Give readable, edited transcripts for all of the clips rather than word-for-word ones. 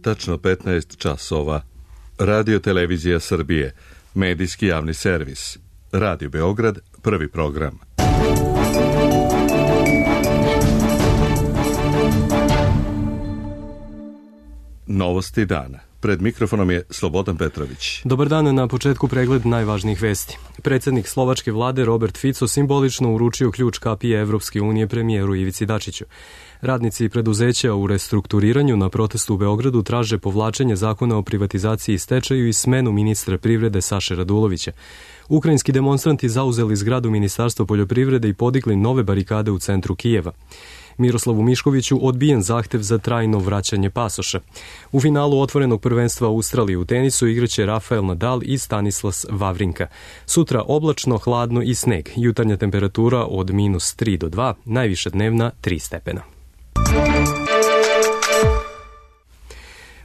tačno 15 časova. Radio Televizija Srbije, medijski javni servis. Radio Beograd, prvi program. Novosti dana. Pred mikrofonom je Slobodan Petrović. Dobar dan, na početku pregled najvažnijih vesti. Predsjednik slovačke vlade Robert Fico simbolično uručio ključ kapije Evropske unije premijeru Ivici Dačiću. Radnici preduzeća u restrukturiranju na protestu u Beogradu traže povlačenje zakona o privatizaciji i stečaju i smenu ministra privrede Saše Radulovića. Ukrajinski demonstranti zauzeli zgradu Ministarstva poljoprivrede i podigli nove barikade u centru Kijeva. Miroslavu Miškoviću odbijen zahtev za trajno vraćanje pasoša. U finalu otvorenog prvenstva Australije u tenisu igraće Rafael Nadal i Stanislas Wawrinka. Sutra oblačno, hladno i sneg. Jutarnja temperatura od -3 do 2, najviša dnevna 3 stepena.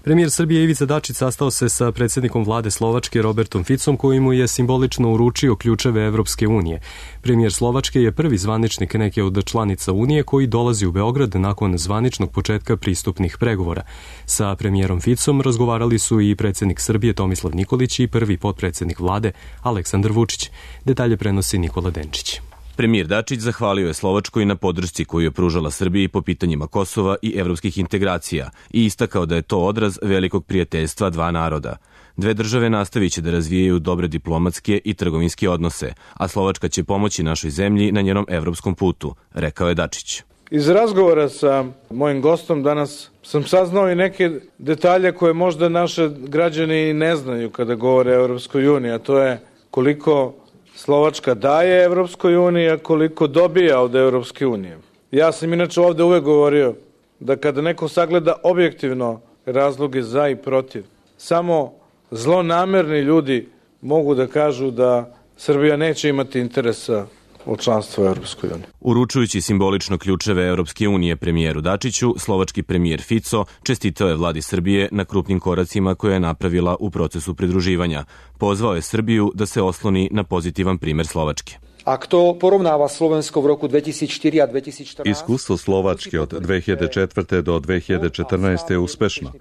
Premijer Srbije Ivica Dačić sastao se sa predsjednikom vlade Slovačke Robertom Ficom, koji mu je simbolično uručio ključeve Evropske unije. Premijer Slovačke je prvi zvaničnik neke od članica Unije koji dolazi u Beograd nakon zvaničnog početka pristupnih pregovora. Sa premijerom Ficom razgovarali su i predsjednik Srbije Tomislav Nikolić i prvi potpredsjednik vlade Aleksandar Vučić. Detalje prenosi Nikola Denčić. Premijer Dačić zahvalio je Slovačkoj na podršci koju je pružala Srbiji po pitanjima Kosova i evropskih integracija i istakao da je to odraz velikog prijateljstva dva naroda. Dve države nastavit će da razvijaju dobre diplomatske i trgovinske odnose, a Slovačka će pomoći našoj zemlji na njenom evropskom putu, rekao je Dačić. Iz razgovora sa mojim gostom danas sam saznao i neke detalje koje možda naše građani ne znaju kada govore o Evropskoj uniji, a to je koliko Slovačka daje Evropskoj uniji, a koliko dobija od Evropske unije. Ja sam inače ovde uvek govorio da kada neko sagleda objektivno razloge za i protiv, samo zlonamerni ljudi mogu da kažu da Srbija neće imati interesa od članstva u Evropskoj uniji. Uručujući simbolično ključeve Evropske unije premijeru Dačiću, slovački premijer Fico čestitao je vladi Srbije na krupnim koracima koje je napravila u procesu pridruživanja. Pozvao je Srbiju da se osloni na pozitivan primer Slovačke. A kto porovnava Slovensko v roku 2004 a 2014? Iskustvo Slovačke od 2004. do 2014. je uspešno,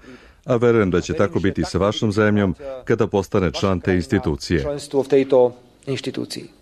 a verujem da će tako biti sa vašom zemljom kada postane član te institucije.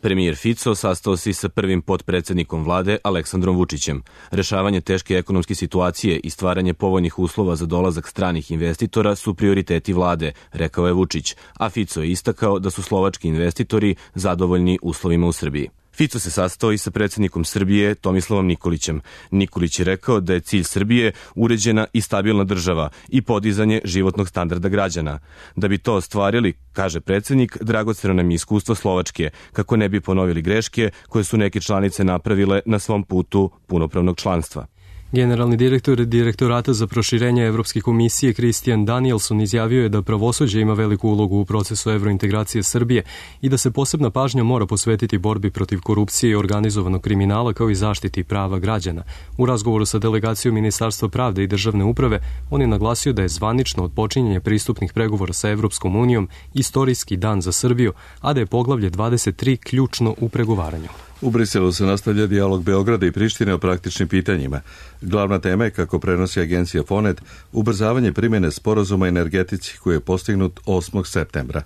Premijer Fico sastao se sa prvim potpredsjednikom vlade Aleksandrom Vučićem. Rešavanje teške ekonomske situacije i stvaranje povoljnih uslova za dolazak stranih investitora su prioriteti vlade, rekao je Vučić, a Fico je istakao da su slovački investitori zadovoljni uslovima u Srbiji. Fico se sastao i sa predsjednikom Srbije Tomislavom Nikolićem. Nikolić je rekao da je cilj Srbije uređena i stabilna država i podizanje životnog standarda građana. Da bi to ostvarili, kaže predsjednik, dragoceno nam je iskustvo Slovačke, kako ne bi ponovili greške koje su neke članice napravile na svom putu punopravnog članstva. Generalni direktor Direktorata za proširenje Evropske komisije Christian Danielson izjavio je da pravosuđe ima veliku ulogu u procesu evrointegracije Srbije i da se posebna pažnja mora posvetiti borbi protiv korupcije i organizovanog kriminala kao i zaštiti prava građana. U razgovoru sa delegacijom Ministarstva pravde i državne uprave on je naglasio da je zvanično od počinjenja pristupnih pregovora sa Evropskom unijom istorijski dan za Srbiju, a da je poglavlje 23 ključno u pregovaranju. U Briselu se nastavlja dijalog Beograda i Prištine o praktičnim pitanjima. Glavna tema je, kako prenosi agencija Fonet, ubrzavanje primjene sporazuma energetici koji je postignut 8. septembra.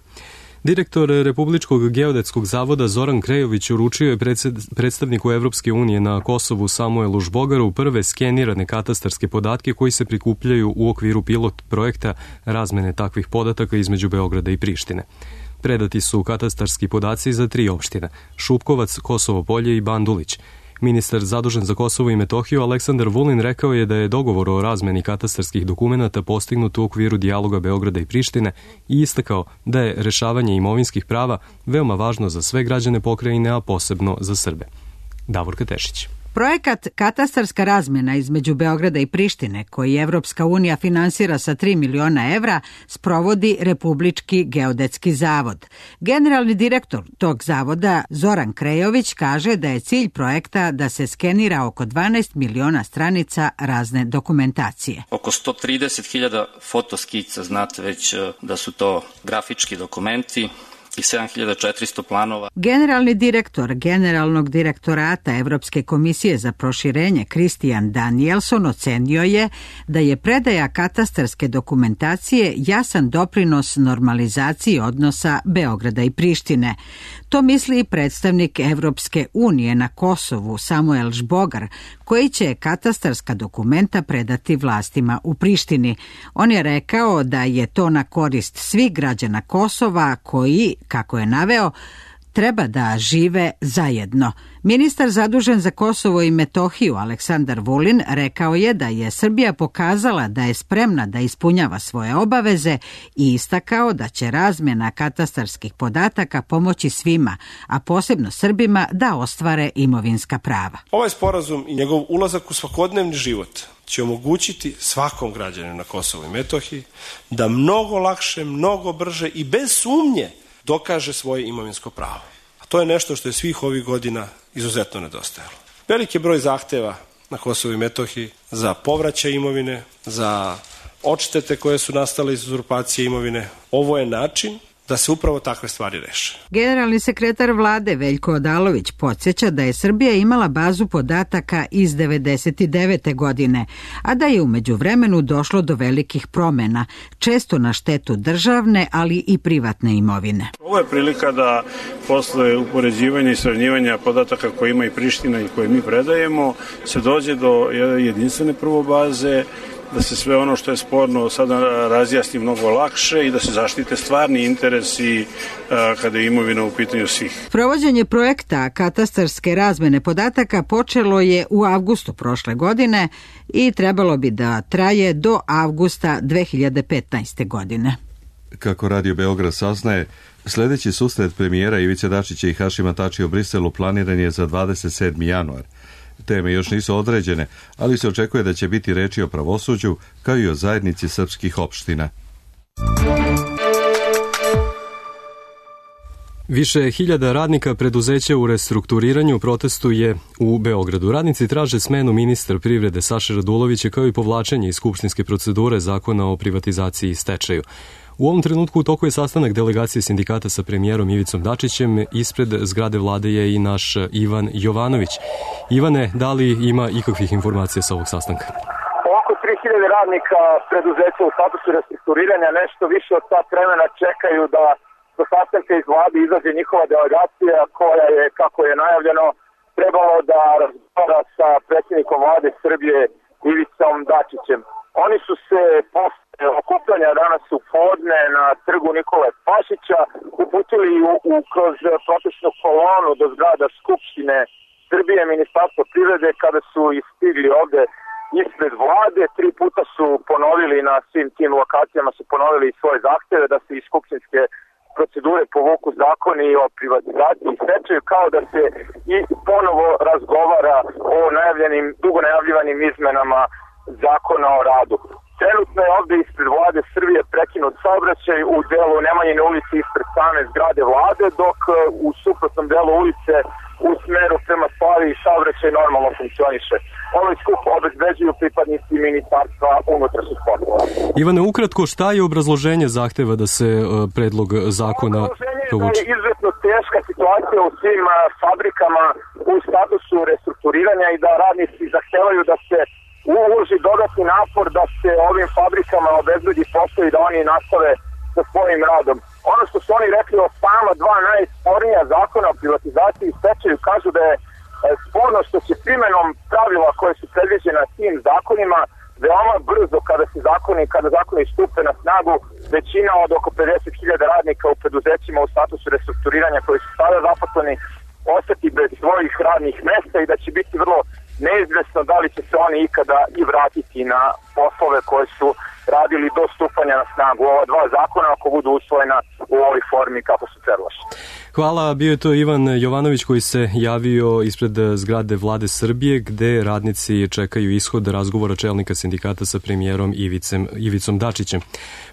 Direktor Republičkog geodetskog zavoda Zoran Krejović uručio je predstavniku Evropske unije na Kosovu Samuelu Žbogaru prve skenirane katastarske podatke koji se prikupljaju u okviru pilot projekta razmene takvih podataka između Beograda i Prištine. Predati su katastarski podaci za 3 opštine: Šupkovac, Kosovo Polje i Bandulić. Ministar zadužen za Kosovo i Metohiju Aleksandar Vulin rekao je da je dogovor o razmeni katastarskih dokumenata postignut u okviru dijaloga Beograda i Prištine i istakao da je rešavanje imovinskih prava veoma važno za sve građane pokrajine, a posebno za Srbe. Davorka Tešić. Projekat Katastarska razmena između Beograda i Prištine, koji Evropska unija finansira sa 3 miliona evra, sprovodi Republički geodetski zavod. Generalni direktor tog zavoda, Zoran Krejović, kaže da je cilj projekta da se skenira oko 12 miliona stranica razne dokumentacije. Oko 130.000 fotoskica, znate već da su to grafički dokumenti i 7400 planova. Generalni direktor Generalnog direktorata Evropske komisije za proširenje Christian Danielson ocenio je da je predaja katastarske dokumentacije jasan doprinos normalizaciji odnosa Beograda i Prištine. To misli i predstavnik Evropske unije na Kosovu Samuel Žbogar, koji će katastarska dokumenta predati vlastima u Prištini. On je rekao da je to na korist svih građana Kosova koji, kako je naveo, treba da žive zajedno. Ministar zadužen za Kosovo i Metohiju Aleksandar Vulin rekao je da je Srbija pokazala da je spremna da ispunjava svoje obaveze i istakao da će razmjena katastarskih podataka pomoći svima, a posebno Srbima da ostvare imovinska prava. Ovaj sporazum i njegov ulazak u svakodnevni život će omogućiti svakom građaninu na Kosovu i Metohiji da mnogo lakše, mnogo brže i bez sumnje dokaže svoje imovinsko pravo. A to je nešto što je svih ovih godina izuzetno nedostajalo. Veliki broj zahteva na Kosovu i Metohiji za povraćaj imovine, za odštete koje su nastale iz uzurpacije imovine. Ovo je način da se upravo takve stvari reše. Generalni sekretar vlade Veljko Odalović podsjeća da je Srbija imala bazu podataka iz 1999. godine, a da je u međuvremenu došlo do velikih promjena, često na štetu državne, ali i privatne imovine. Ovo je prilika da posle upoređivanja i sravnjivanja podataka koje ima i Priština i koje mi predajemo, se dođe do jedinstvene prvo baze, da se sve ono što je sporno sada razjasni mnogo lakše i da se zaštite stvarni interesi kada je imovina u pitanju svih. Provođenje projekta katastarske razmene podataka počelo je u avgustu prošle godine i trebalo bi da traje do avgusta 2015. godine. Kako Radio Beograd saznaje, sljedeći susret premijera Ivice Dačića i Hašima Tačija u Briselu planiran je za 27. januar. Teme još nisu određene, ali se očekuje da će biti reči o pravosuđu kao i o zajednici srpskih opština. Više hiljada radnika preduzeća u restrukturiranju protestuje u Beogradu. Radnici traže smenu ministra privrede Saše Radulovića kao i povlačenje iz skupštinske procedure zakona o privatizaciji i stečaju. U ovom trenutku u toku je sastanak delegacije sindikata sa premijerom Ivicom Dačićem. Ispred zgrade vlade je i naš Ivan Jovanović. Ivane, da li ima ikakvih informacija sa ovog sastanka? Oko 3000 radnika preduzeća u statusu restrukturiranja nešto više od sat vremena čekaju da do sastanka iz vlade izađe njihova delegacija koja je, kako je najavljeno, trebalo da razgovara sa predsjednikom vlade Srbije Ivicom Dačićem. Oni su se posle okupljanja danas u podne na trgu Nikole Pašića uputili kroz protestnu kolonu do zgrada Skupštine Srbije, Ministarstva privrede, kada su istigli ovde ispred vlade. 3 puta su ponovili na svim tim lokacijama, su ponovili svoje zahteve da se iz skupštinske procedure povuku zakoni o privatizaciji i stečaju, kao da se i ponovo razgovara o dugo najavljivanim izmenama zakona o radu. Trenutno je ovde ispred vlade Srbije prekinut saobraćaj u delu Nemanjine ulice ispred same zgrade vlade, dok u suprotnom delu ulice u smeru prema Slavi saobraćaj normalno funkcioniše. Ovaj skup obezbeđuju pripadnici Ministarstva unutrašnjih poslova. Ivane, ukratko, šta je obrazloženje zahteva da se predlog zakona povuče? Da je izuzetno teška situacija u svim fabrikama u statusu restrukturiranja i da radnici zahtevaju da se uloži dodatni napor da se ovim fabrikama obezbedi posao i da oni nastave sa svojim radom. Ono što su oni rekli o sama 2 najspornija zakona o privatizaciji i stečaju, kažu da je sporno što će primjenom pravila koje su predviđena tim zakonima veoma brzo kada zakoni stupe na snagu, većina od oko 50.000 radnika u preduzećima u statusu restrukturiranja koji su sada zaposleni ostati bez svojih radnih mesta i da će biti vrlo neizvesno da li će se oni ikada i vratiti na poslove koje su radili do stupanja na snagu ova 2 zakona ako budu usvojena u ovoj formi kako su predloženi. Hvala, bio je to Ivan Jovanović koji se javio ispred zgrade Vlade Srbije gde radnici čekaju ishod razgovora čelnika sindikata sa premijerom Ivicom Dačićem.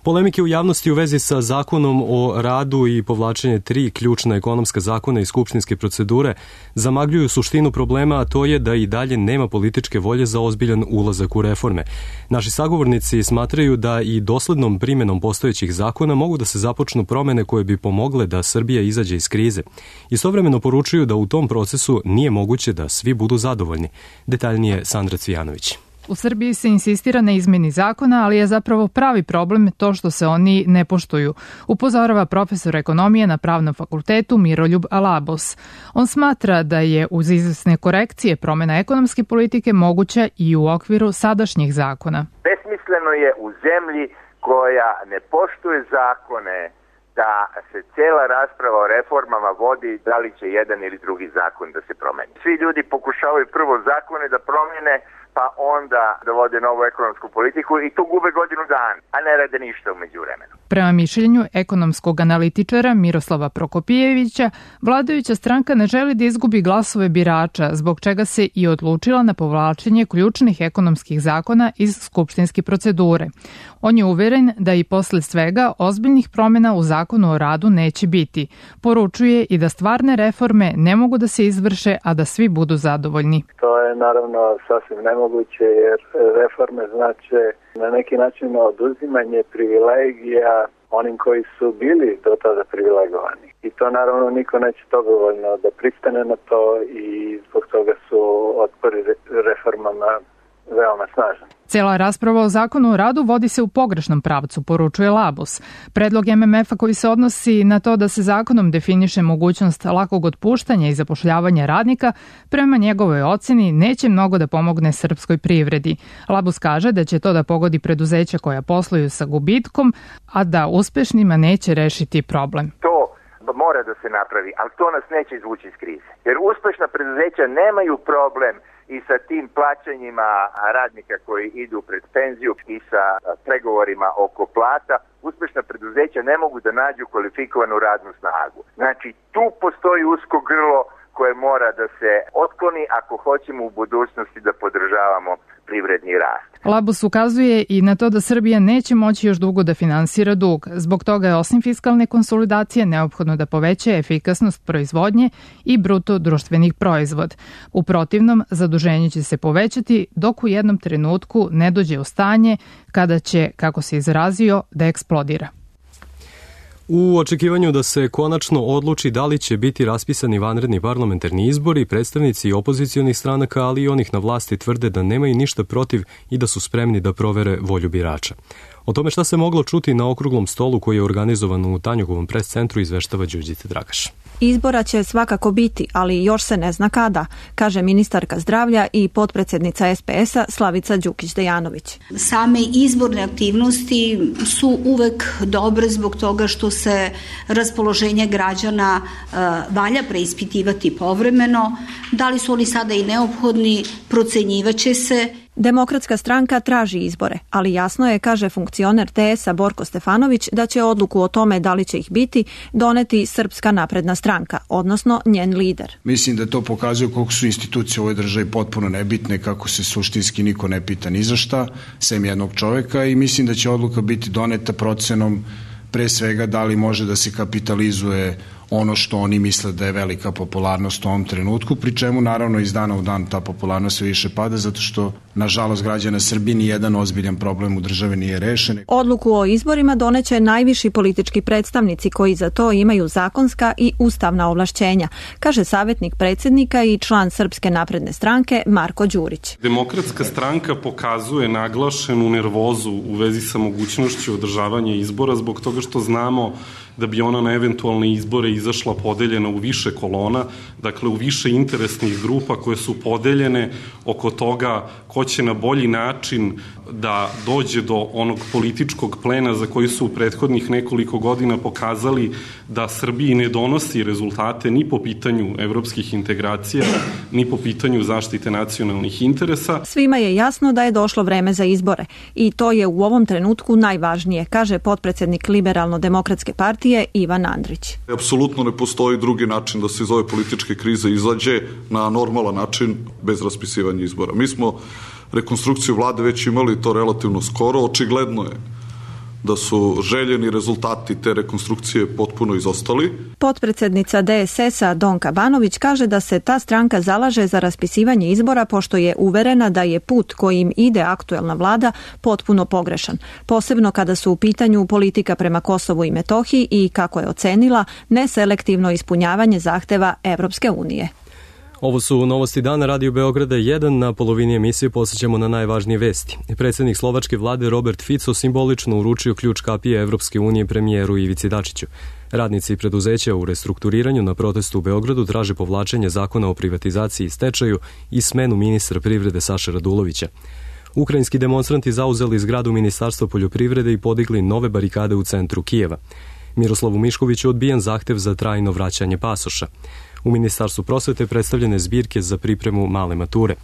Polemike u javnosti u vezi sa zakonom o radu i povlačenje 3 ključna ekonomska zakona i skupštinske procedure zamagljuju suštinu problema, a to je da i dalje nema političke volje za ozbiljan ulazak u reforme. Naši sagovornici smatraju da i doslednom primjenom postojećih zakona mogu da se započnu promene koje bi pomogle da Srbija izađe iz krize. Istovremeno poručuju da u tom procesu nije moguće da svi budu zadovoljni. Detaljnije Sandra Cvijanović. U Srbiji se insistira na izmeni zakona, ali je zapravo pravi problem to što se oni ne poštuju, upozorava profesor ekonomije na Pravnom fakultetu Miroljub Alabos. On smatra da je uz izvesne korekcije promjena ekonomske politike moguća i u okviru sadašnjih zakona. Besmisleno je u zemlji koja ne poštuje zakone da se cijela rasprava o reformama vodi da li će jedan ili drugi zakon da se promeni. Svi ljudi pokušavaju prvo zakone da promjene, pa onda dovode novu ekonomsku politiku i tu gube godinu dana, a ne rade ništa u međuvremenu. Prema mišljenju ekonomskog analitičara Miroslava Prokopijevića, vladajuća stranka ne želi da izgubi glasove birača, zbog čega se i odlučila na povlačenje ključnih ekonomskih zakona iz skupštinske procedure. On je uveren da i posle svega ozbiljnih promjena u zakonu o radu neće biti. Poručuje i da stvarne reforme ne mogu da se izvrše, a da svi budu zadovoljni. To je naravno sasvim nemoguće jer reforme znače na neki način oduzimanje privilegija onim koji su bili do tada privilegovani. I to naravno niko neće dobrovoljno da pristane na to i zbog toga su otpori reformama veoma snažan. Cijela rasprava o zakonu o radu vodi se u pogrešnom pravcu, poručuje Labus. Predlog MMF-a koji se odnosi na to da se zakonom definiše mogućnost lakog otpuštanja i zapošljavanja radnika, prema njegovoj ocjeni neće mnogo da pomogne srpskoj privredi. Labus kaže da će to da pogodi preduzeća koja posluju sa gubitkom, a da uspešnima neće rešiti problem. To mora da se napravi, ali to nas neće izvući iz krize. Jer uspešna preduzeća nemaju problem i sa tim plaćanjima radnika koji idu pred penziju i sa pregovorima oko plata. Uspešna preduzeća ne mogu da nađu kvalifikovanu radnu snagu. Znači, tu postoji usko grlo koje mora da se otkloni ako hoćemo u budućnosti da podržavamo privredni rast. Labus ukazuje i na to da Srbija neće moći još dugo da finansira dug. Zbog toga je osim fiskalne konsolidacije neophodno da poveća efikasnost proizvodnje i bruto društvenih proizvod. U protivnom, zaduženje će se povećati dok u jednom trenutku ne dođe u stanje kada će, kako se izrazio, da eksplodira. U očekivanju da se konačno odluči da li će biti raspisani vanredni parlamentarni izbori, predstavnici opozicionih stranaka, ali i onih na vlasti tvrde da nemaju ništa protiv i da su spremni da provere volju birača. O tome šta se moglo čuti na okruglom stolu koji je organizovan u Tanjugovom pres centru izveštava Đurđica Dragaš. Izbora će svakako biti, ali još se ne zna kada, kaže ministarka zdravlja i potpredsjednica SPS-a Slavica Đukić-Dejanović. Same izborne aktivnosti su uvek dobre zbog toga što se raspoloženje građana valja preispitivati povremeno. Da li su oni sada i neophodni, procenjivaće se. Demokratska stranka traži izbore, ali jasno je, kaže funkcioner TS-a Borko Stefanović, da će odluku o tome da li će ih biti doneti Srpska napredna stranka, odnosno njen lider. Mislim da to pokazuje koliko su institucije u ovoj državi potpuno nebitne, kako se suštinski niko ne pita ni za šta, sem jednog čoveka, i mislim da će odluka biti doneta procenom pre svega da li može da se kapitalizuje ono što oni misle da je velika popularnost u ovom trenutku, pri čemu naravno iz dana u dan ta popularnost sve više pada, zato što nažalost građana Srbije ni jedan ozbiljan problem u državi nije rešen. Odluku o izborima doneće najviši politički predstavnici koji za to imaju zakonska i ustavna ovlašćenja, kaže savjetnik predsjednika i član Srpske napredne stranke Marko Đurić. Demokratska stranka pokazuje naglašenu nervozu u vezi sa mogućnošću održavanja izbora zbog toga što znamo da bi ona na eventualne izbore izašla podeljena u više kolona, dakle u više interesnih grupa koje su podeljene oko toga ko će na bolji način da dođe do onog političkog plena za koji su u prethodnih nekoliko godina pokazali da Srbiji ne donosi rezultate ni po pitanju evropskih integracija, ni po pitanju zaštite nacionalnih interesa. Svima je jasno da je došlo vreme za izbore i to je u ovom trenutku najvažnije, kaže potpredsjednik Liberalno-demokratske partije partije Ivan Andrić. Apsolutno ne postoji drugi način da se iz ove političke krize izađe na normalan način bez raspisivanja izbora. Mi smo rekonstrukciju vlade već imali to relativno skoro. Očigledno je da su željeni rezultati te rekonstrukcije potpuno izostali. Potpredsednica DSS-a Donka Banović kaže da se ta stranka zalaže za raspisivanje izbora pošto je uverena da je put kojim ide aktuelna vlada potpuno pogrešan. Posebno kada su u pitanju politika prema Kosovu i Metohiji i, kako je ocenila, neselektivno ispunjavanje zahteva Evropske unije. Ovo su novosti dana Radio Beograda 1. Na polovini emisije posjećamo na najvažnije vesti. Predsjednik slovačke vlade Robert Fico simbolično uručio ključ kapije Evropske unije premijeru Ivici Dačiću. Radnici preduzeća u restrukturiranju na protestu u Beogradu traže povlačenje zakona o privatizaciji i stečaju i smenu ministra privrede Saše Radulovića. Ukrajinski demonstranti zauzeli zgradu Ministarstva poljoprivrede i podigli nove barikade u centru Kijeva. Miroslavu Miškoviću odbijen zahtev za trajno vraćanje pasoša. U Ministarstvu prosvete predstavljene zbirke za pripremu male mature.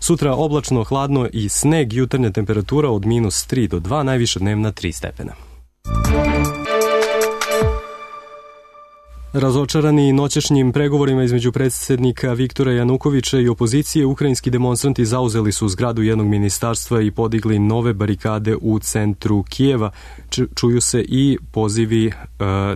Sutra oblačno, hladno i sneg, jutarnja temperatura od -3 do 2, najviša dnevna 3 stepena. Razočarani noćešnjim pregovorima između predsjednika Viktora Janukovića i opozicije, ukrajinski demonstranti zauzeli su zgradu jednog ministarstva i podigli nove barikade u centru Kijeva. Čuju se i pozivi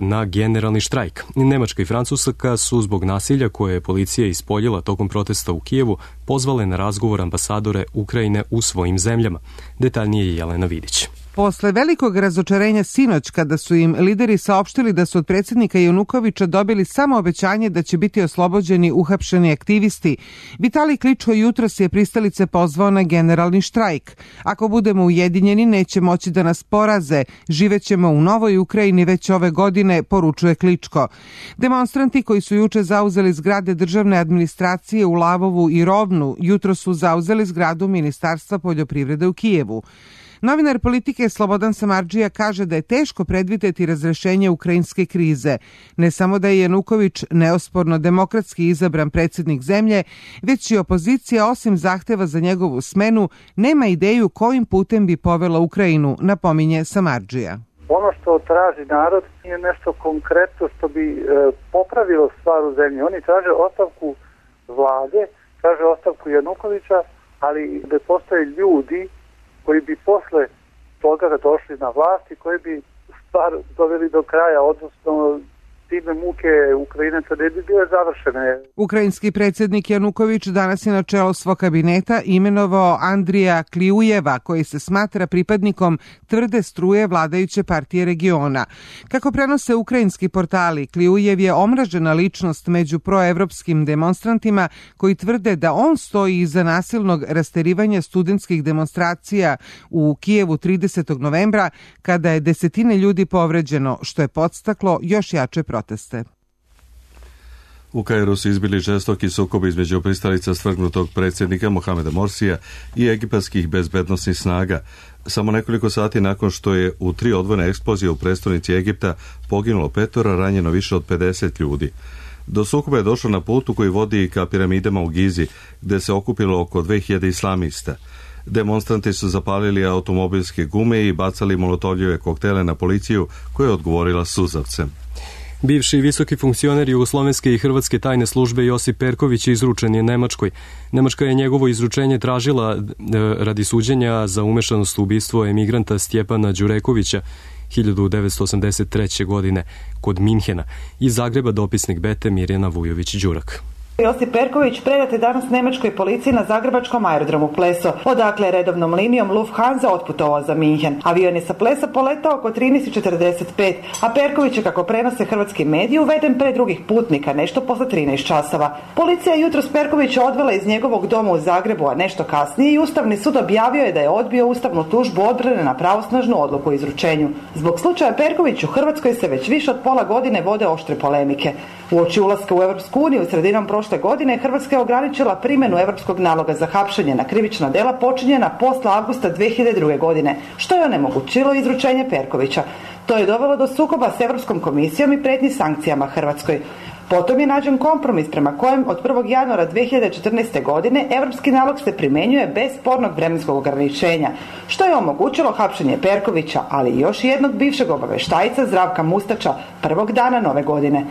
na generalni štrajk. Nemačka i Francuska su zbog nasilja koje je policija ispoljila tokom protesta u Kijevu pozvale na razgovor ambasadore Ukrajine u svojim zemljama. Detaljnije je Jelena Vidić. Posle velikog razočarenja sinoć, kada su im lideri saopštili da su od predsjednika Janukovića dobili samo obećanje da će biti oslobođeni uhapšeni aktivisti, Vitalij Kličko jutros je pristalice pozvao na generalni štrajk. Ako budemo ujedinjeni, neće moći da nas poraze. Živećemo u novoj Ukrajini već ove godine, poručuje Kličko. Demonstranti koji su juče zauzeli zgrade državne administracije u Lavovu i Rovnu, jutro su zauzeli zgradu Ministarstva poljoprivrede u Kijevu. Novinar Politike Slobodan Samardžija kaže da je teško predvideti razrešenje ukrajinske krize. Ne samo da je Januković neosporno demokratski izabran predsjednik zemlje, već i opozicija, osim zahteva za njegovu smenu, nema ideju kojim putem bi povela Ukrajinu, napominje Samardžija. Ono što traži narod je nešto konkretno što bi popravilo stvar u zemlji. Oni traže ostavku vlade, traže ostavku Janukovića, ali da postoje ljudi koji bi posle toga došli na vlast i koji bi stvar doveli do kraja, odnosno time muke Ukrajinaca ne bi bile završene. Ukrajinski predsjednik Januković danas je na čelo svog kabineta imenovao Andrija Klijujeva, koji se smatra pripadnikom tvrde struje vladajuće partije regiona. Kako prenose ukrajinski portali, Klijujev je omražena ličnost među proevropskim demonstrantima koji tvrde da on stoji iza nasilnog rasterivanja studentskih demonstracija u Kijevu 30. novembra, kada je desetine ljudi povređeno, što je podstaklo još jače proteste. U Kairu su izbili žestoki sukobi između pristalica svrgnutog predsjednika Mohameda Morsija i egipatskih bezbednosnih snaga. Samo nekoliko sati nakon što je u 3 odvojene eksplozije u prestonici Egipta poginulo 5, ranjeno više od 50 ljudi. Do sukoba je došlo na putu koji vodi ka piramidama u Gizi, gde se okupilo oko 2000 islamista. Demonstranti su zapalili automobilske gume i bacali molotovljeve koktele na policiju, koja je odgovorila suzavcem. Bivši visoki funkcioner jugoslovenske i hrvatske tajne službe Josip Perković izručen je Nemačkoj. Nemačka je njegovo izručenje tražila radi suđenja za umešanost u ubistvo emigranta Stjepana Đurekovića 1983. godine kod Minhena. Iz Zagreba dopisnik Bete Mirjana Vujović-Đurak. Josip Perković predat je danas nemačkoj policiji na zagrebačkom aerodromu Pleso. Odakle je redovnom linijom Lufthansa otputovao za Minhen. Avion je sa Plesa poletao oko 13:45, a Perković je, kako prenose hrvatski mediji, uveden pre drugih putnika, nešto posle 13 časova. Policija je jutros Perkovića odvela iz njegovog doma u Zagrebu, a nešto kasnije i Ustavni sud objavio je da je odbio ustavnu tužbu odbrane na pravosnažnu odluku o izručenju. Zbog slučaja Perković u Hrvatskoj se već više od pola godine vode oštre polemike. Uoči ulaska u Evropsku uniju sredinom prošle godine Hrvatska je ograničila primjenu Evropskog naloga za hapšenje na krivična dela počinjena posle avgusta 2002. godine, što je onemogućilo izručenje Perkovića. To je dovelo do sukoba s Evropskom komisijom i pretnji sankcijama Hrvatskoj. Potom je nađen kompromis prema kojem od 1. januara 2014. godine evropski nalog se primenjuje bez spornog vremenskog ograničenja, što je omogućilo hapšenje Perkovića, ali i još jednog bivšeg obaveštajca Zdravka Mustača prvog dana nove godine.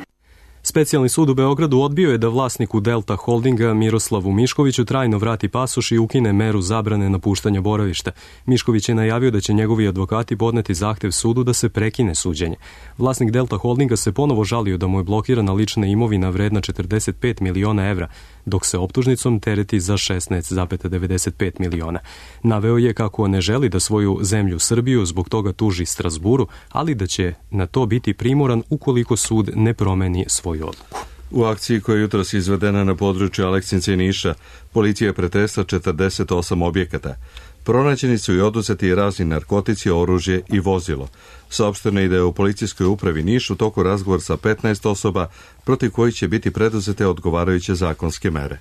Specijalni sud u Beogradu odbio je da vlasniku Delta Holdinga Miroslavu Miškoviću trajno vrati pasoš i ukine meru zabrane napuštanja boravišta. Mišković je najavio da će njegovi advokati podneti zahtev sudu da se prekine suđenje. Vlasnik Delta Holdinga se ponovo žalio da mu je blokirana lična imovina vredna 45 miliona evra, dok se optužnicom tereti za 16,95 miliona. Naveo je kako ne želi da svoju zemlju Srbiju zbog toga tuži Strazburu, ali da će na to biti primoran ukoliko sud ne promeni svoju odluku. U akciji koja je jutros izvedena na području Aleksinca i Niša, policija je pretresla 48 objekata. Pronađeni su i oduzeti razni narkotici, oružje i vozilo. Saopšteno je da je u policijskoj upravi Niš u toku razgovor sa 15 osoba protiv kojih će biti preduzete odgovarajuće zakonske mere.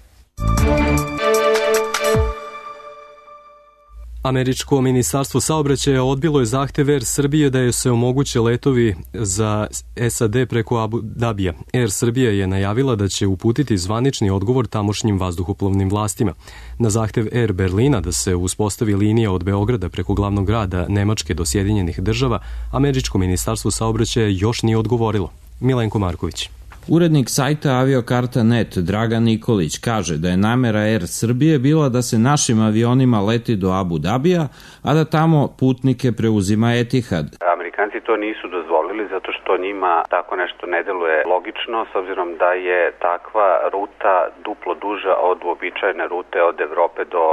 Američko ministarstvo saobraćaja odbilo je zahtev Air Srbije da joj se omoguće letovi za SAD preko Abu Dabija. Air Srbija je najavila da će uputiti zvanični odgovor tamošnjim vazduhoplovnim vlastima. Na zahtev Air Berlina da se uspostavi linija od Beograda preko glavnog grada Nemačke do Sjedinjenih država, Američko ministarstvo saobraćaja još nije odgovorilo. Milenko Marković. Urednik sajta Aviokarta.net Dragan Nikolić kaže da je namera Air Srbije bila da se našim avionima leti do Abu Dabija, a da tamo putnike preuzima Etihad. Amerikanci to nisu dozvolili zato što njima tako nešto ne deluje logično, s obzirom da je takva ruta duplo duža od uobičajene rute od Evrope do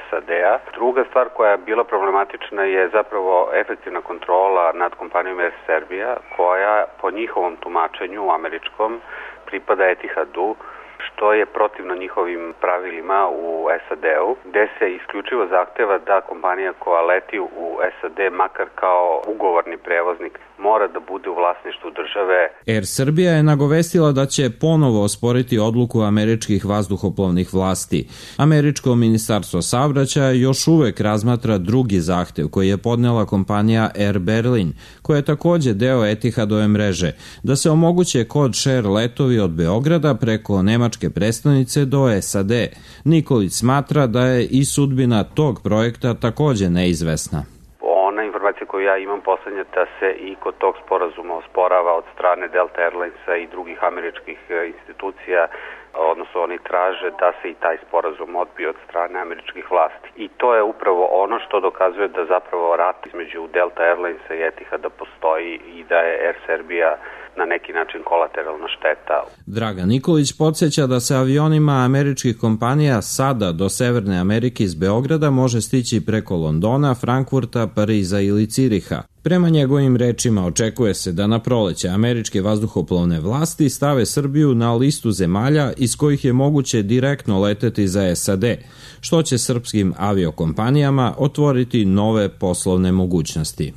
SAD-a. Druga stvar koja je bila problematična je zapravo efektivna kontrola nad kompanijom Air Serbia, koja po njihovom tumačenju američkom pripada Etihadu, što je protivno njihovim pravilima u SAD-u, gde se isključivo zahteva da kompanija koja leti u SAD, makar kao ugovorni prevoznik, mora da bude u vlasništvu države. Air Srbija je nagovestila da će ponovo osporiti odluku američkih vazduhoplovnih vlasti. Američko ministarstvo saobraćaja još uvek razmatra drugi zahtev koji je podnela kompanija Air Berlin, koja je takođe deo Etihadove mreže, da se omoguće code share letovi od Beograda preko nemačke prestonice do SAD. Nikolić smatra da je i sudbina tog projekta takođe neizvesna. Informacija koju ja imam poslednja da se i kod tog sporazuma osporava od strane Delta Airlinesa i drugih američkih institucija, odnosno oni traže da se i taj sporazum odbije od strane američkih vlasti. I to je upravo ono što dokazuje da zapravo rat između Delta Airlinesa i Etihada postoji i da je Air Serbia na neki način kolateralna šteta. Dragan Nikolić podsjeća da se avionima američkih kompanija sada do Severne Amerike iz Beograda može stići preko Londona, Frankfurta, Pariza ili Ciriha. Prema njegovim rečima očekuje se da na proleće američke vazduhoplovne vlasti stave Srbiju na listu zemalja iz kojih je moguće direktno leteti za SAD, što će srpskim aviokompanijama otvoriti nove poslovne mogućnosti.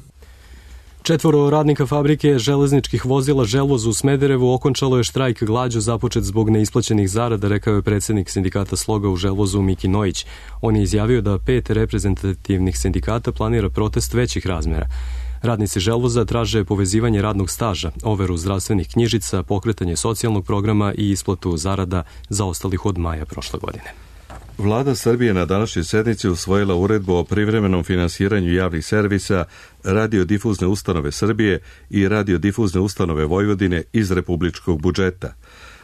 4 radnika fabrike železničkih vozila Želvoz u Smederevu okončalo je štrajk glađu započet zbog neisplaćenih zarada, rekao je predsjednik sindikata Sloga u Želvozu Miki Nojić. On je izjavio da 5 reprezentativnih sindikata planira protest većih razmera. Radnici Želvoza traže povezivanje radnog staža, overu zdravstvenih knjižica, pokretanje socijalnog programa i isplatu zarada zaostalih od maja prošle godine. Vlada Srbije na današnjoj sednici usvojila uredbu o privremenom finansiranju javnih servisa Radiodifuzne ustanove Srbije i Radiodifuzne ustanove Vojvodine iz republičkog budžeta.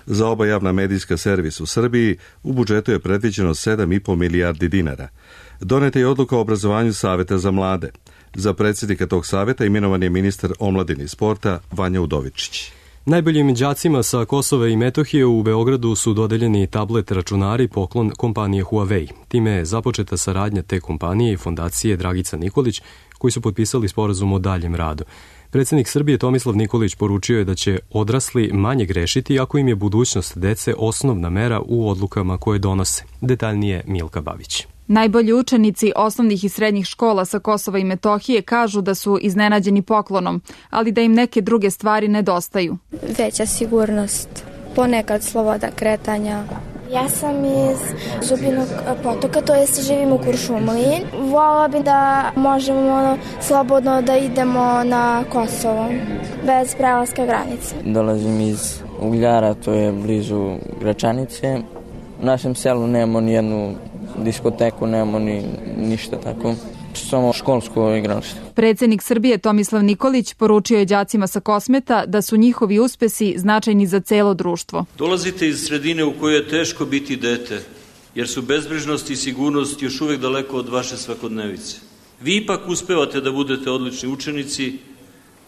Za oba javna medijska servis u Srbiji u budžetu je predviđeno 7,5 milijardi dinara. Doneta je odluka o obrazovanju Saveta za mlade. Za predsjednika tog saveta imenovan je ministar omladine i sporta Vanja Udovičić. Najboljim đacima sa Kosova i Metohije u Beogradu su dodeljeni tablet računari poklon kompanije Huawei. Time je započeta saradnja te kompanije i fondacije Dragica Nikolić, koji su potpisali sporazum o daljem radu. Predsjednik Srbije Tomislav Nikolić poručio je da će odrasli manje grešiti ako im je budućnost dece osnovna mera u odlukama koje donose. Detaljnije Milka Babić. Najbolji učenici osnovnih i srednjih škola sa Kosova i Metohije kažu da su iznenađeni poklonom, ali da im neke druge stvari nedostaju. Veća sigurnost, ponekad sloboda kretanja. Ja sam iz Zubinog Potoka, to jest živim u Kuršumliji. Volela bi da možemo slobodno da idemo na Kosovo, bez prelaska granice. Dolazim iz Ugljara, to je blizu Gračanice. U našem selu nemamo ni jednu diskoteku, nemamo ni ništa tako. Samo školsko igralište. Predsednik Srbije Tomislav Nikolić poručio je đacima sa Kosmeta da su njihovi uspesi značajni za celo društvo. Dolazite iz sredine u kojoj je teško biti dete, jer su bezbrižnost i sigurnost još uvek daleko od vaše svakodnevice. Vi ipak uspevate da budete odlični učenici,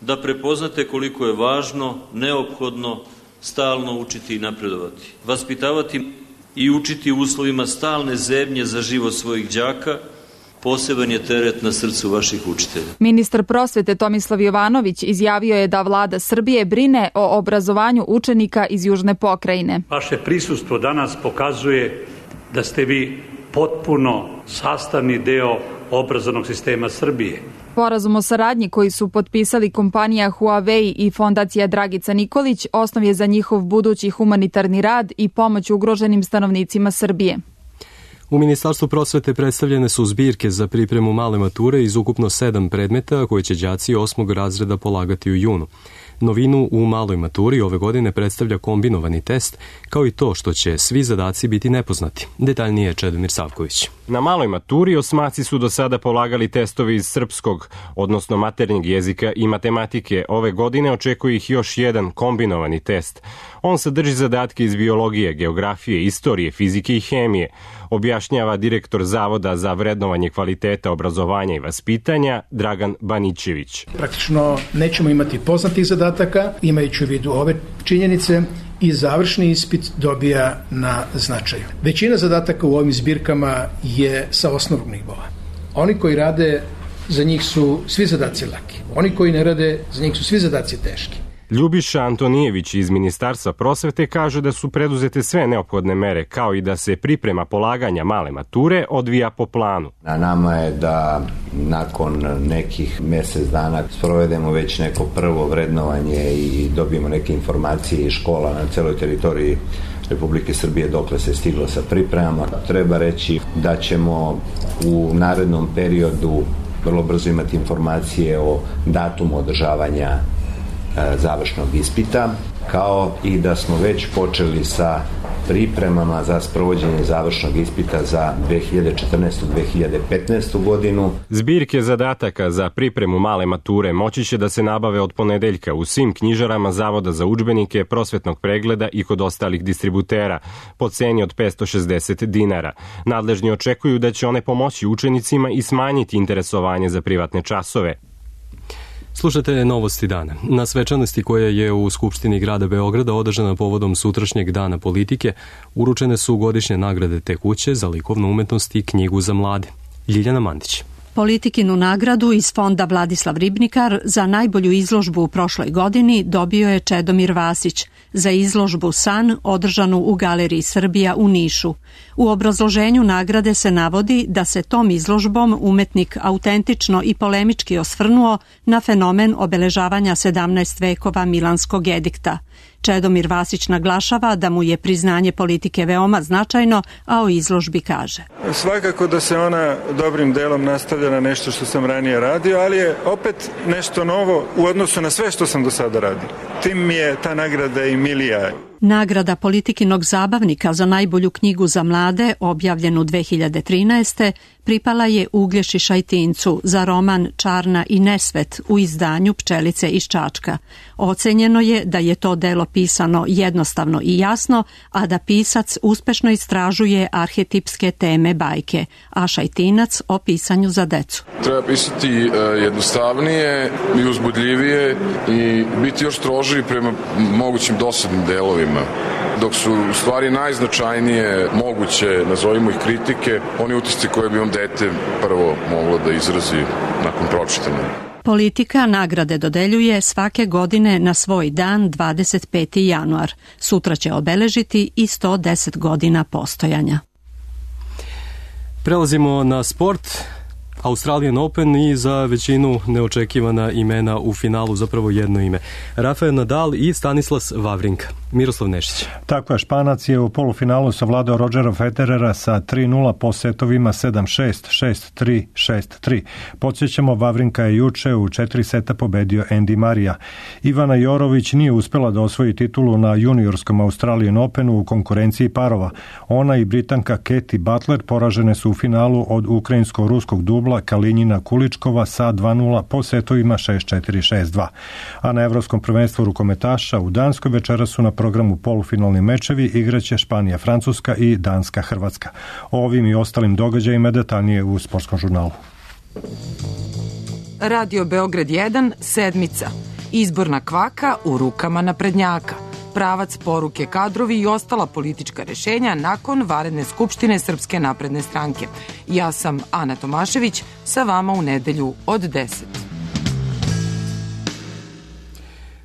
da prepoznate koliko je važno, neophodno, stalno učiti i napredovati. Vaspitavati i učiti u uslovima stalne zebnje za život svojih đaka, poseban je teret na srcu vaših učitelja. Ministar prosvete Tomislav Jovanović izjavio je da vlada Srbije brine o obrazovanju učenika iz južne pokrajine. Vaše prisustvo danas pokazuje da ste vi potpuno sastavni deo obrazovnog sistema Srbije. Sporazum o saradnji koji su potpisali kompanija Huawei i fondacija Dragica Nikolić osnov je za njihov budući humanitarni rad i pomoć ugroženim stanovnicima Srbije. U Ministarstvu prosvete predstavljene su zbirke za pripremu male mature iz ukupno 7 predmeta koje će đaci 8. razreda polagati u junu. Novinu u maloj maturi ove godine predstavlja kombinovani test, kao i to što će svi zadaci biti nepoznati. Detaljnije Čedomir Savković. Na maloj maturi osmaci su do sada polagali testovi iz srpskog, odnosno maternjeg jezika i matematike. Ove godine očekuje ih još jedan kombinovani test. On sadrži zadatke iz biologije, geografije, istorije, fizike i hemije, objašnjava direktor Zavoda za vrednovanje kvaliteta obrazovanja i vaspitanja Dragan Banićević. Praktično nećemo imati poznatih zadataka, imajući u vidu ove činjenice, i završni ispit dobija na značaju. Većina zadataka u ovim zbirkama je sa osnovnog nivoa. Oni koji rade, za njih su svi zadaci laki. Oni koji ne rade, za njih su svi zadaci teški. Ljubiša Antonijević iz Ministarstva prosvete kaže da su preduzete sve neophodne mere, kao i da se priprema polaganja male mature odvija po planu. Na nama je da nakon nekih mjesec dana sprovedemo već neko prvo vrednovanje i dobijemo neke informacije iz škola na celoj teritoriji Republike Srbije dokle se stiglo sa pripremama. Treba reći da ćemo u narednom periodu vrlo brzo imati informacije o datumu održavanja završnog ispita, kao i da smo već počeli sa pripremama za sprovođenje završnog ispita za 2014-2015. godinu. Zbirke zadataka za pripremu male mature moći će da se nabave od ponedeljka u svim knjižarama Zavoda za udžbenike, prosvetnog pregleda i kod ostalih distributera po ceni od 560 dinara. Nadležni očekuju da će one pomoći učenicima i smanjiti interesovanje za privatne časove. Slušajte novosti dana. Na svečanosti koja je u Skupštini grada Beograda održana povodom sutrašnjeg dana politike, uručene su godišnje nagrade te kuće za likovnu umetnost i knjigu za mlade. Ljiljana Mandić. Politikinu nagradu iz fonda Vladislav Ribnikar za najbolju izložbu u prošloj godini dobio je Čedomir Vasić za izložbu San održanu u Galeriji Srbija u Nišu. U obrazloženju nagrade se navodi da se tom izložbom umetnik autentično i polemički osvrnuo na fenomen obeležavanja 17 vekova Milanskog edikta. Čedomir Vasić naglašava da mu je priznanje politike veoma značajno, a o izložbi kaže. Svakako da se ona dobrim delom nastavlja na nešto što sam ranije radio, ali je opet nešto novo u odnosu na sve što sam do sada radio. Tim mi je ta nagrada i milija. Nagrada Politikinog zabavnika za najbolju knjigu za mlade, objavljenu 2013. pripala je Uglješi Šajtincu za roman Čarna i nesvet u izdanju Pčelice iz Čačka. Ocenjeno je da je to delo pisano jednostavno i jasno, a da pisac uspešno istražuje arhetipske teme bajke, a Šajtinac o pisanju za decu. Treba pisati jednostavnije i uzbudljivije i biti još strožiji prema mogućim dosadnim delovima. Dok su u stvari najznačajnije moguće, nazovimo ih kritike, oni utisci koje bi vam dete prvo moglo da izrazi nakon pročitanja. Politika nagrade dodeljuje svake godine na svoj dan 25. januar. Sutra će obeležiti i 110 godina postojanja. Prelazimo na sport. Australian Open i za većinu neočekivana imena u finalu, zapravo jedno ime. Rafael Nadal i Stanislas Wawrinka. Miroslav Nešić. Tako je, Španac je u polufinalu savladao Rodgera Federera sa 3-0 po setovima 7-6, 6-3, 6-3. Podsjećamo, Wawrinka je juče u 4 seta pobedio Andy Marija. Ivana Jorović nije uspela da osvoji titulu na juniorskom Australian Openu u konkurenciji parova. Ona i Britanka Katie Butler poražene su u finalu od ukrajinsko-ruskog dubla Kalinjina Kuličkova sa 2-0 po setovima 6-4, 6-2. A na Evropskom prvenstvu rukometaša u Danskoj večera su na programu polufinalni mečevi, igraće Španija, Francuska i Danska, Hrvatska. O ovim i ostalim događajima detaljnije u Sportskom žurnalu. Radio Beograd 1, sedmica. Izborna kvaka u rukama naprednjaka. Pravac, poruke, kadrovi i ostala politička rešenja nakon vanredne skupštine Srpske napredne stranke. Ja sam Ana Tomašević, sa vama u nedelju od 10.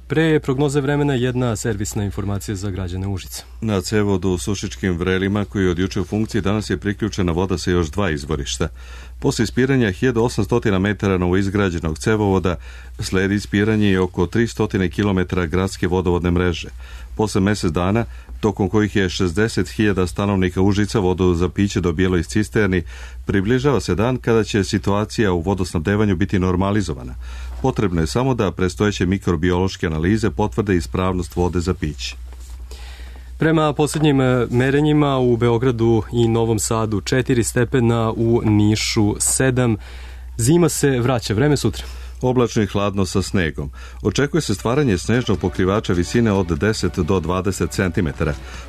Pre prognoze vremena jedna servisna informacija za građane Užica. Na cevodu u Sušičkim Vrelima, koji je od juče u funkciji, danas je priključena voda sa još 2 izvorišta. Posle ispiranja 1800 metara novoizgrađenog cevovoda sledi ispiranje i oko 300 km gradske vodovodne mreže. Posle mesec dana, tokom kojih je 60.000 stanovnika Užica vodu za piće dobijelo iz cisterni, približava se dan kada će situacija u vodosnabdevanju biti normalizovana. Potrebno je samo da predstojeće mikrobiološke analize potvrde ispravnost vode za piće. Prema posljednjim merenjima u Beogradu i Novom Sadu 4 stepena, u Nišu 7. Zima se vraća, vreme sutra. Oblačno i hladno sa snegom. Očekuje se stvaranje snežnog pokrivača visine od 10 do 20 cm.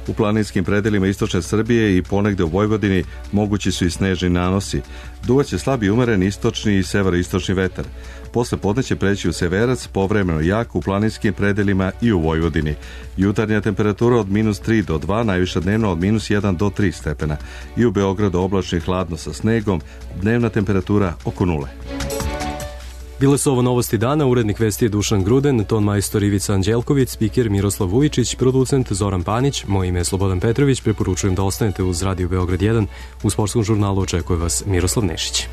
U planinskim predelima istočne Srbije i ponegde u Vojvodini mogući su i snežni nanosi. Duvaće slabi umeren istočni i severoistočni vetar. Posle podne će preći u severac, povremeno jak u planinskim predelima i u Vojvodini. Jutarnja temperatura od -3 do 2, najviša dnevno od -1 do 3 stepena. I u Beogradu oblačno i hladno sa snegom, dnevna temperatura oko 0. Bile su ovo novosti dana, urednik vesti je Dušan Gruden, ton majstor Ivica Anđelković, spiker Miroslav Vujičić, producent Zoran Panić, moje ime je Slobodan Petrović, preporučujem da ostanete uz Radio Beograd 1, u Sportskom žurnalu očekuje vas Miroslav Nešić.